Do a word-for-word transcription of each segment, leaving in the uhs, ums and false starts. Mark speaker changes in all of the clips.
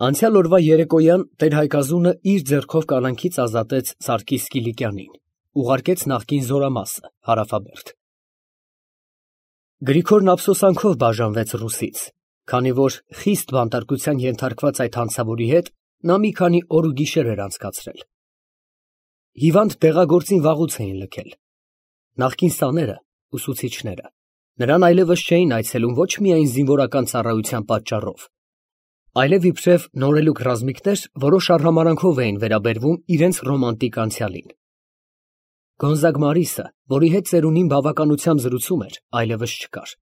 Speaker 1: Անցյալ օրվա երեկոյան տեր֊Հայկազունը իր ձեռքով կալանքից ազատեց Սարգիս Կիլիկյանին, ուղարկեց նախկին զորամասը Հարավաբերդ։ Գրիգորն ափսոսանքով բաժանվեց Ռուսից, քանի որ խիստ բանտարկության ենթարկված այդ հանցավորի հետ նա մի քանի օր ու գիշեր էր անցկացրել։ Հիվանդ դեղագործին վաղուց էին լքել։ Նախկին սաները, ուսուցիչները, նրան այլևս չէին այցելում ոչ միայն զինվորական ծառայության պատճառով, այլև իբրև նորելուկ ռազմիկներ որոշ արհամարհանքով էին վերաբերվում իրենց ռոմանտիկ անցյալին։ Գոնզագ Մարիսը, որի հետ ծերունին բավականությամբ զրուցում էր, այլևս չկար։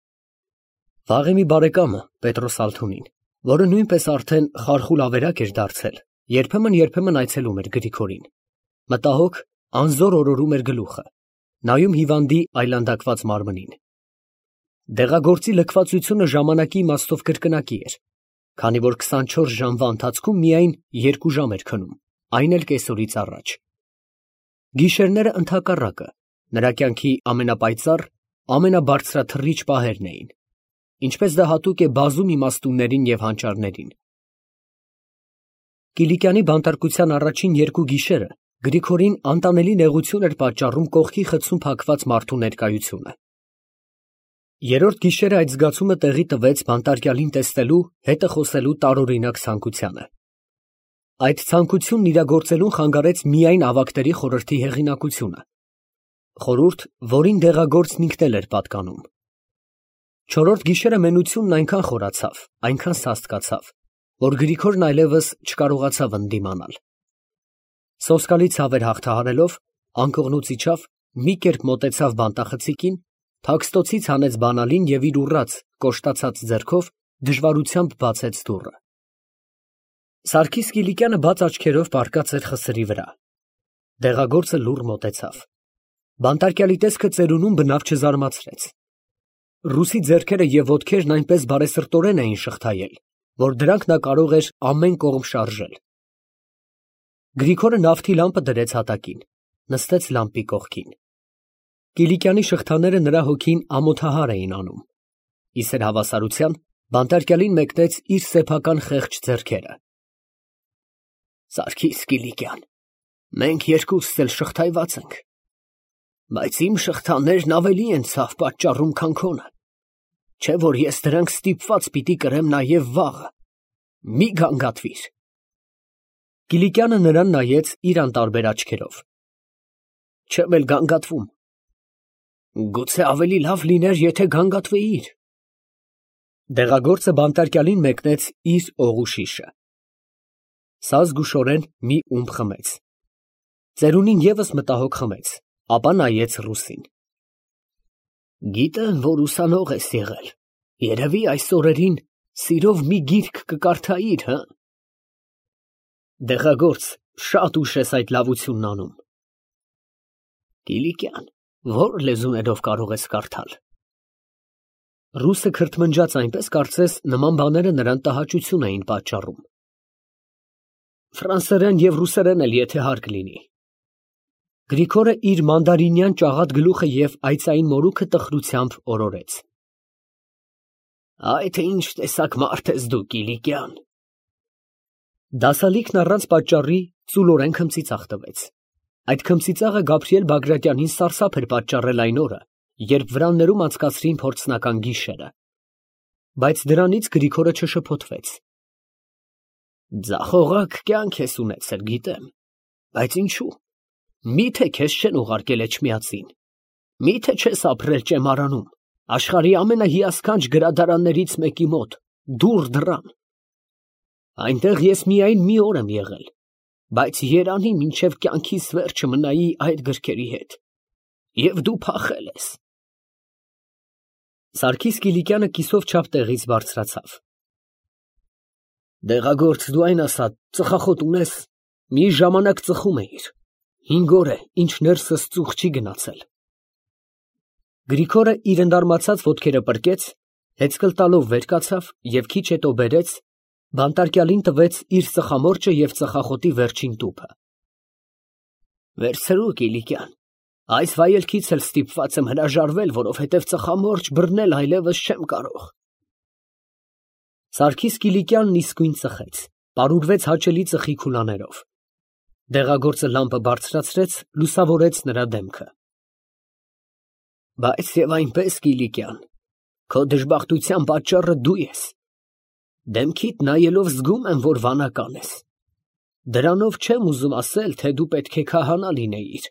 Speaker 1: Վաղեմի մի բարեկամը, Պետրոս Ալթունին, որը նույնպես արդեն խարխուլ ավերակ էր դարձել, երբեմն֊երբեմն այցելում էր Գրիգորին, մտահոգ, անզոր օրորում էր գլուխը, նայում հիվանդի այլանդակված մարմնին։ Դեղագործի լքվածությունը ժամանակի իմաստով կրկնակի էր, քանի որ քսանչորս ժամվա ընթացքում միայն երկու ժամ էր քնում, այն էլ կեսօրից առաջ։ Գիշերները ընդհակառակը նրա կյանքի ամենապայծառ, ամենաբարձրաթռիչ պահերն էին, ինչպես դա հատուկ է բազում իմաստուններին և հանճարներին։ Կիլիկյանի բանտարկության առաջին երկու գիշերը Գրիգորին անտանելի նեղություն էր պատճառում կողքի խցում փակված մարդու ներկայությունը։ Երրորդ գիշերը այդ զգացումը տեղի տվեց բանտարկյալին տեսնելու, հետը խոսելու տարօրինակ ցանկությանը։ Այդ ցանկությունն իրագործելուն խանգարեց միայն ավագների խորհրդի հեղինակությունը, խորհուրդ, որին դեղագործն ինքն էլ էր պատկանում։ Չորրորդ գիշերը մենությունն այնքան խորացավ, այնքան սաստկացավ, որ Գրիգորն այլևս չկարողացավ ընդդիմանալ։ Սոսկալի ցավեր հաղթահարելով, անկողնուց իջավ, մի կերպ մոտեցավ բանտախցիկին, թաքստոցից հանեց բանալին և իր ուռած, կոշտացած ձեռքով դժվարությամբ բացեց դուռը։ Սարգիս Կիլիկյանը բաց աչքերով պառկած էր խսրի վրա։ Դեղագործը լուռ մոտեցավ։ Բանտարկյալի տեսքը ծերունուն բնավ չզարմացրեց։ Ռուսի ձեռքերը և ոտքերն այնպես բարեսրտորեն էին շղթայել, որ դրանք նա կարող էր ամեն կողմ շարժել։ Գրիգորը նավթի լամպը դրեց հատակին, նստեց լամպի կողքին։ Կիլիկյանի շղթաները նրա հոգին ամոթահար էին անում։ Իսեր հավասարության բանտարկյալին մեկնեց իր սեփական խեղճ ձեռքերը։ Սարգիս Կիլիկյան, մենք երկուսս էլ շղթայված ենք, բայց իմ շղթաներն ավելի են ցավ պատճառում, քան քոնը, չէ որ ես դրանք ստիպված պիտի կրեմ նաև վաղը, մի գանգատվիր։ Կիլիկյանը նրան նայեց իր անտարբեր աչքերով։ Չեմ էլ գանգատվում։ Գուցե ավելի լավ լիներ, եթե գանգատվեիր։ Դեղագործը բանտարկյալին մեկնեց իր օղուշիշը։ Սա զգուշորեն մի ումպ խմեց։ Ծերունին ևս մտահոգ խմեց, ապա նայեց Ռուսին։ Գիտեմ, որ ուսանող ես եղել, երևի այս օրերին սիրով մի գիրք կկարդայիր, հը։ Դեղագործ, շատ ուշ ես այդ լավությունն անում։ Կիլիկյան, ո՞ր լեզուներով կարող ես կարդալ։ Ռուսը քրթմնջաց այնպես, կարծես նման բաները նրան տհաճություն էին պատճառում։ Ֆրանսերեն և ռուսերեն էլ, եթե հարկ լինի։ Գրիգորը իր մանդարինյան ճաղատ գլուխը և այծային մորուքը տխրությամբ օրորեց։ Այ թե ինչ տեսակ մարդ ես դու, Կիլիկյան։ Դասալիքն առանց պատճառի ծուլորեն քմծիծաղ տվեց։ Այդ քմծիծաղը Գաբրիել Բագրատյանին սարսափ էր պատճառել այն օրը, երբ վրաններում անցկացրին փորձնական գիշերը։ Բայց դրանից Գրիգորը չշփոթվեց։ Ձախողակ կյանք ես ունեցել, գիտեմ, բայց ինչու։ Միթե քեզ չեն ուղարկել Էջմիածին, միթե չես ապրել ճեմարանում, աշխարհի ամենահիասքանչ գրադարաններից մեկի մոտ, դուռ դռան։ Այնտեղ ես միայն մի օր եմ եղել, բայց երանի մինչև կյանքիս վերջը մնայի այդ գրքերի հետ, և դու փախել ես։ Սարգիս Կիլիկյանը կիսով չափ տեղից բարձրացավ։ Դեղագործ, դու այն ասա, ծխախոտ ունես, մի ժամանակ ծխում էիր, հինգ օր է, ինչ ներսս ծուխ չի գնացել։ Գրիգորը իր ընդարմացած ոտքերը պրկեց, հեծկլ տալով վեր կացավ և քիչ հետո բերեց, բանտարկյալին տվեց իր ծխամորճը և ծխախոտի վերջին տուփը։ Վերցրու, Կիլիկյան, այս վայելքից էլ ստիպված եմ հրաժարվել, որովհետև ծխամորճ բռնել այլևս չեմ կարող։ Սարգիս Կիլիկյանն իսկույն ծխեց, Պարուրվեց հաճելի ծխի քուլաներով։ Դեղագործը լամպը բարձրացրեց, լուսավորեց նրա դեմքը։ Բայց եւ այնպես, Կիլիկյան, քո դժբախտության պատճառը դու ես։ Դեմքիդ նայելով զգում եմ, որ վանական ես։ Դրանով չեմ ուզում ասել, թե դու պետք է քահանա լինեիր,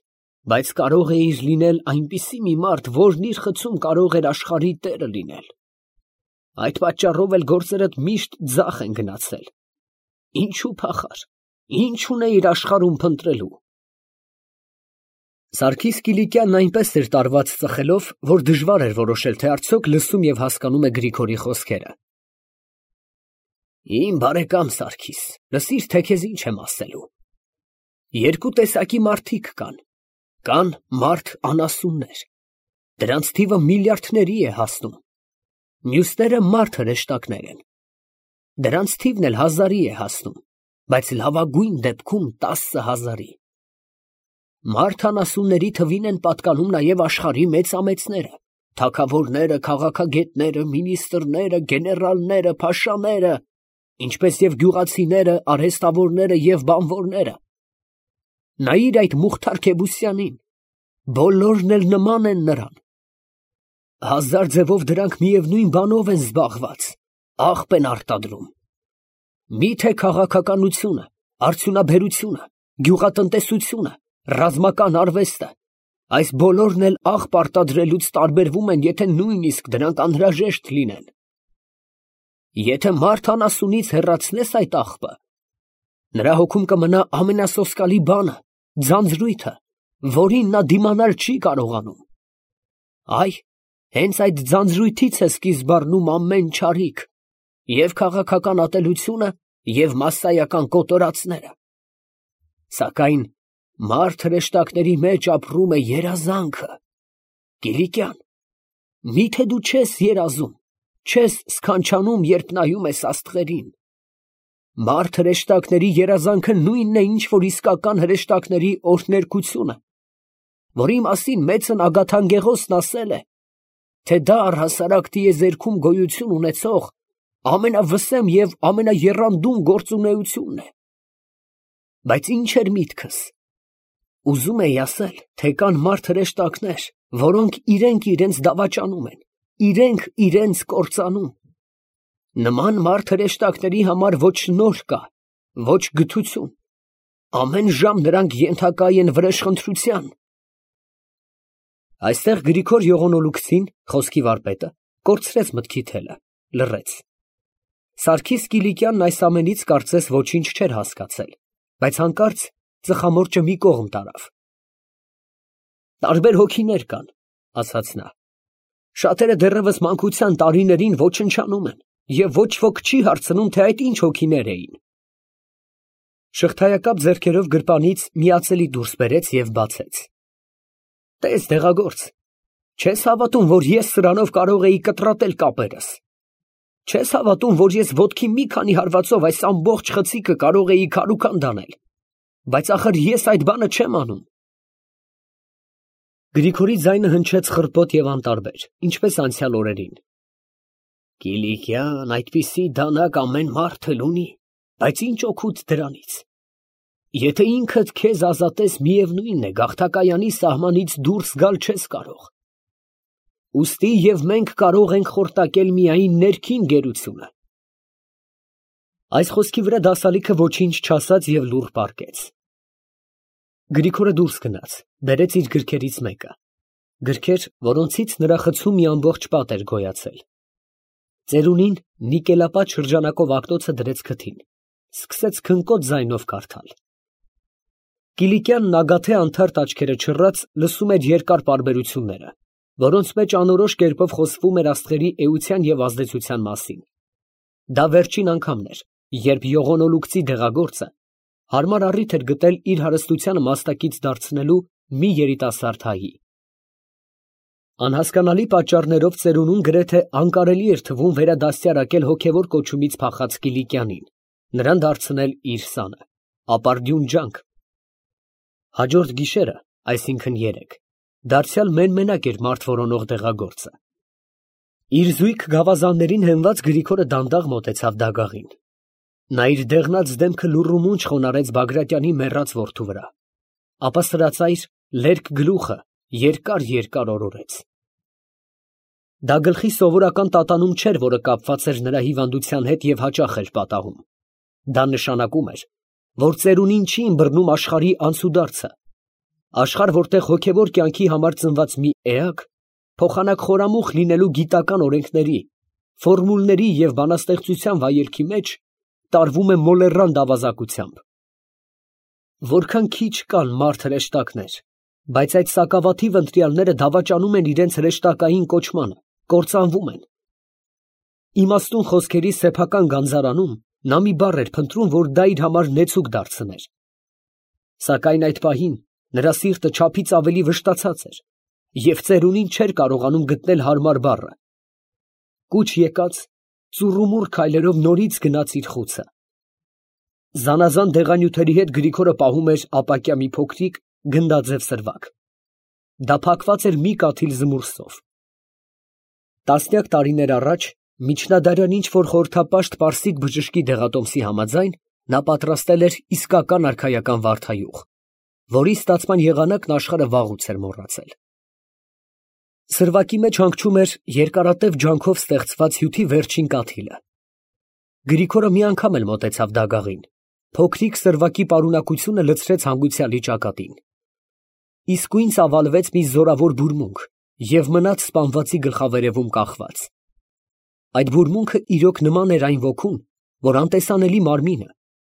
Speaker 1: բայց կարող էիր լինել այնպիսի մի մարդ, որն իր խցում կարող էր աշխարհի տերը լինել։ Այդ պատճառով էլ գործերդ միշտ ձախ են գնացել։ Ինչու փախար, ինչ ունեիր աշխարհում փնտրելու։ Սարգիս Կիլիկյանն այնպես էր տարված ծխելով, որ դժվար էր որոշել, թե արդյոք լսում եւ հասկանում է Գրիգորի խոսքերը։ Իմ բարեկամ Սարգիս, լսիր, թե քեզ ինչ եմ ասելու։ Երկու տեսակի մարդիկ կան։ Կան մարդ անասուններ։ Դրանց թիվը միլիարդների է հասնում։ Մյուսները մարդ հրեշտակներ են։ Դրանց թիվն էլ հազարի է հասնում, բայց լավագույն դեպքում տասը հազարի։ Մարդ անասունների թվին են պատկանում նաև աշխարհի մեծամեծները, թագավորները, քաղաքագետները, մինիստրները, գեներալները, փաշաները, ինչպես եւ գյուղացիները, արհեստավորները եւ բանվորները։ Նայիր այդ Մուխթար Քեբուսյանին, բոլորն էլ նման են նրան։ Հազար ձևով դրանք միևնույն բանով են զբաղված, աղբ են արտադրում։ Միթե քաղաքականությունը, արդյունաբերությունը, գյուղատնտեսությունը, ռազմական արվեստը, այս բոլորն էլ աղբ արտադրելուց տարբերվում են, եթե նույնիսկ դրանք անհրաժեշտ լինեն։ Եթե մարդ անասունից հեռացնես այդ աղբը, նրա հոգում կմնա ամենասոսկալի բանը, ձանձրույթը, որին նա դիմանալ չի կարողանում։ Այ, հենց այդ ձանձրույթից է սկիզբ առնում ամեն չարիք, և քաղաքական ատելությունը, և մասսայական կոտորածները։ Սակայն մարդ հրեշտակների մեջ ապրում է երազանքը։ Կիլիկյան, միթե դու չես երազում, չես սքանչանում, երբ նայում ես աստղերին։ Մարդ հրեշտակների երազանքը նույնն է, ինչ որ իսկական հրեշտակների օրհներգությունը, որի մասին մեծն Ագաթանգեղոսն ասել է, թե դա առհասարակ տիեզերքում գոյություն ունեցող ամենավսեմ և ամենաեռանդուն գործունեությունն է։ Բայց ինչ էր միտքս։ Ուզում էի ասել, թե կան մարդ հրեշտակներ, որոնք իրենք իրենց դավաճանում են, իրենք իրենց կործանում։ Նման մարդ հրեշտակների համար ոչ շնորհ կա, ոչ գթություն։ Ամեն ժամ նրանք ենթակա են վրեժխնդրության։ Այստեղ Գրիգոր Եղոնոլուկցին, խոսքի վարպետը, կորցրեց մտքի թելը, լռեց։ Սարգիս Կիլիկյանն այս ամենից կարծես ոչինչ չէր հասկացել, բայց հանկարծ ծխամորճը մի կողմ տարավ։ Տարբեր հոգիներ կան, ասաց նա։ Շատերը դեռևս մանկության տարիներին ոչնչանում են, և ոչ ոք չի հարցնում, թե այդ ինչ հոգիներ էին։ Շղթայակապ ձեռքերով գրպանից միացելի դուրս բերեց և բացեց։ Տես, դեղագործ, չես հավատում, որ ես սրանով կարող էի կտրատել կապերս։ Չես հավատում, որ ես ոտքի մի քանի հարվածով այս ամբողջ խցիկը կարող էի քարուքան դանել, բայց ախր ես այդ բանը չեմ անում։ Գրիգորի ձայնը հնչեց խռպոտ և անտարբեր, ինչպես անցյալ օրերին։ Կիլիկյան, այդպիսի դանակ ամեն մարդ էլ ունի, բայց ինչ օգուտ դրանից։ Եթե ինքդ քեզ ազատես, միևնույն է, գաղթակայանի սահմանից դուրս գալ չես կարող։ Ուստի և մենք կարող ենք խորտակել միայն ներքին գերությունը։ Այս խոսքի վրա դասալիքը ոչինչ չասաց և լուռ պառկեց։ Գրիգորը դուրս գնաց, բերեց իր գրքերից մեկը, գրքեր, որոնցից նրա խցում մի ամբողջ պատ էր գոյացել։ Ծերունին նիկելապատ շրջանակով ակտոցը դրեց քթին, սկսեց քնկոտ ձայնով կարդալ։ Կիլիկյանն ագաթե անթարթ աչքերը չռած լսում էր երկար պարբերությունները, որոնց մեջ անորոշ կերպով խոսվում էր աստղերի էության և ազդեցության մասին։ Դա վերջին անգամն էր, երբ Եղոնոլուկցի դեղագործը հարմար առիթ էր գտել իր հարստությանը մաստակից դարձնելու մի երիտասարդ հայի։ Անհասկանալի պատճառներով ծերունուն գրեթե անկարելի էր թվում վերադաստիարակել հոգևոր կոչումից փախած Կիլիկյանին, նրան դարձնել իր սանը, ապարդյուն ջանք։ Հաջորդ գիշերը, այսինքն երեկ, դարձյալ մեն֊մենակ էր մարդ որոնող դեղագործը։ Իր զույգ գավազաններին հենված Գրիգորը դանդաղ մոտեցավ դագաղին։ Նա իր դեղնած դեմքը լուռումունջ խոնարհեց Բագրատյանի մեռած որդու վրա, ապա սրածայր լերկ գլուխը երկար֊երկար օրորեց։ Դա գլխի սովորական տատանում չէր, որը կապված էր նրա հիվանդության հետ և հաճախ էր պատահում. դա նշանակում էր, որ ծերունին չի ըմբռնում աշխարհի անցուդարձը, աշխարհ, որտեղ հոգևոր կյանքի համար ծնված մի էակ, փոխանակ խորամուխ լինելու գիտական օրենքների, ֆորմուլների և բանաստեղծության վայելքի մեջ տարվում է մոլեռանդ ավազակությամբ։ Որքան քիչ կան մարդ հրեշտակներ, բայց այդ սակավաթիվ ընտրյալները դավաճանում են իրենց հրեշտակային կոչմանը, կործանվում են։ Իմաստուն խոսքերի սեփական գանձարանում նա մի բառ էր փնտրում, որ դա իր համար նեցուկ դարձներ։ Սակայն այդ պահին նրա սիրտը չափից ավելի վշտացած էր, և ծերունին չէր կարողանում գտնել հարմար բառը։ Կուչ եկած, ծուռումուռ քայլերով նորից գնաց իր խուցը։ Զանազան դեղանյութերի հետ Գրիգորը պահում էր ապակյա մի փոքրիկ գնդաձև սրվակ։ Դա փակված էր մի կաթիլ զմուռսով։ Տասնյակ տարիներ առաջ միջնադարյան ինչ֊որ խորհրդապաշտ պարսիկ բժշկի դեղատոմսի համաձայն նա պատրաստել էր իսկական արքայական վարդահյուղ, որի ստացման եղանակն աշխարհը վաղուց էր մոռացել։ Սրվակի մեջ հանգչում էր երկարատև ջանքով ստեղծված հյութի վերջին կաթիլը։ Գրիգորը մի անգամ էլ մոտեցավ դագաղին, փոքրիկ սրվակի պարունակությունը լցրեց հանգուցյալի ճակատին։ Իսկույն ծավալվեց մի զորավոր բուրմունք և մնաց սպանվածի գլխավերևում կախված։ Այդ բուրմունքը իրոք նման էր այն ոգուն, որ անտեսանելի մարմինը,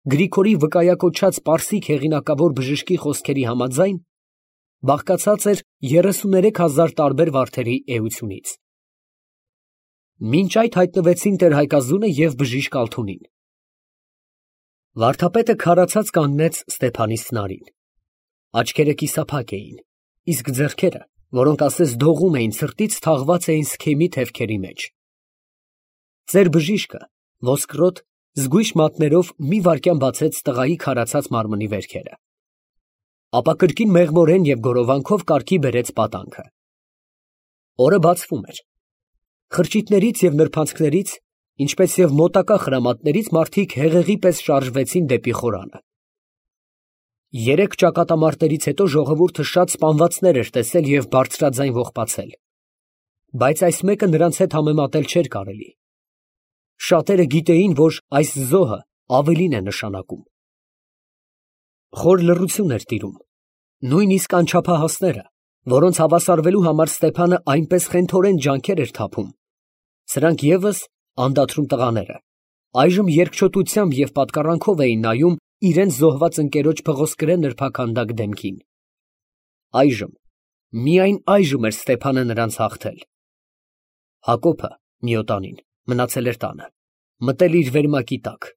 Speaker 1: Գրիգորի վկայակոչած պարսիկ հեղինակավոր բժշկի խոսքերի համաձայն, բաղկացած էր երեսուներեք հազար տարբեր վարդերի էությունից։ Մինչ այդ հայտնվեցին տեր֊Հայկազունը և բժիշկ Ալթունին։ Վարդապետը քարացած կանգնեց Ստեփանի սնարին։ Աչքերը կիսափակ էին, իսկ ձեռքերը, որոնք ասես դողում էին, ցրտից թաղված էին սքեմի թևքերի մեջ։ Ծեր բժիշկը ոսկրոտ, զգույշ մատներով մի վայրկյան բացեց տղայի քարացած մարմնի վերքերը, ապա կրկին մեղմորեն և գորովանքով կարգի բերեց պատանքը։ Օրը բացվում էր։ Խրճիթներից և նրբանցքներից, ինչպես և մոտակա խրամատներից մարդիկ հեղեղի պես շարժվեցին դեպի խորանը։ Երեք ճակատամարտերից հետո ժողովուրդը շատ սպանվածներ էր տեսել և բարձրաձայն ողբացել, բայց այս մեկը նրանց հետ համեմատել չէր կարելի։ Շատերը գիտեին, որ այս զոհը ավելին է նշանակում։ Խոր լռություն էր տիրում։ Նույնիսկ անչափահասները, որոնց հավասարվելու համար Ստեփանը այնպես խենթորեն ջանքեր էր թափում, սրանք ևս անդադրում տղաները, այժմ երկչոտությամբ և պատկառանքով էին նայում իրենց զոհված ընկերոջ փղոսկրե նրբաքանդակ դեմքին։ Այժմ, միայն այժմ էր Ստեփանը նրանց հաղթել։ Հակոբը, Մյուտանին, մնացել էր տանը, մտել իր վերմակի տակ,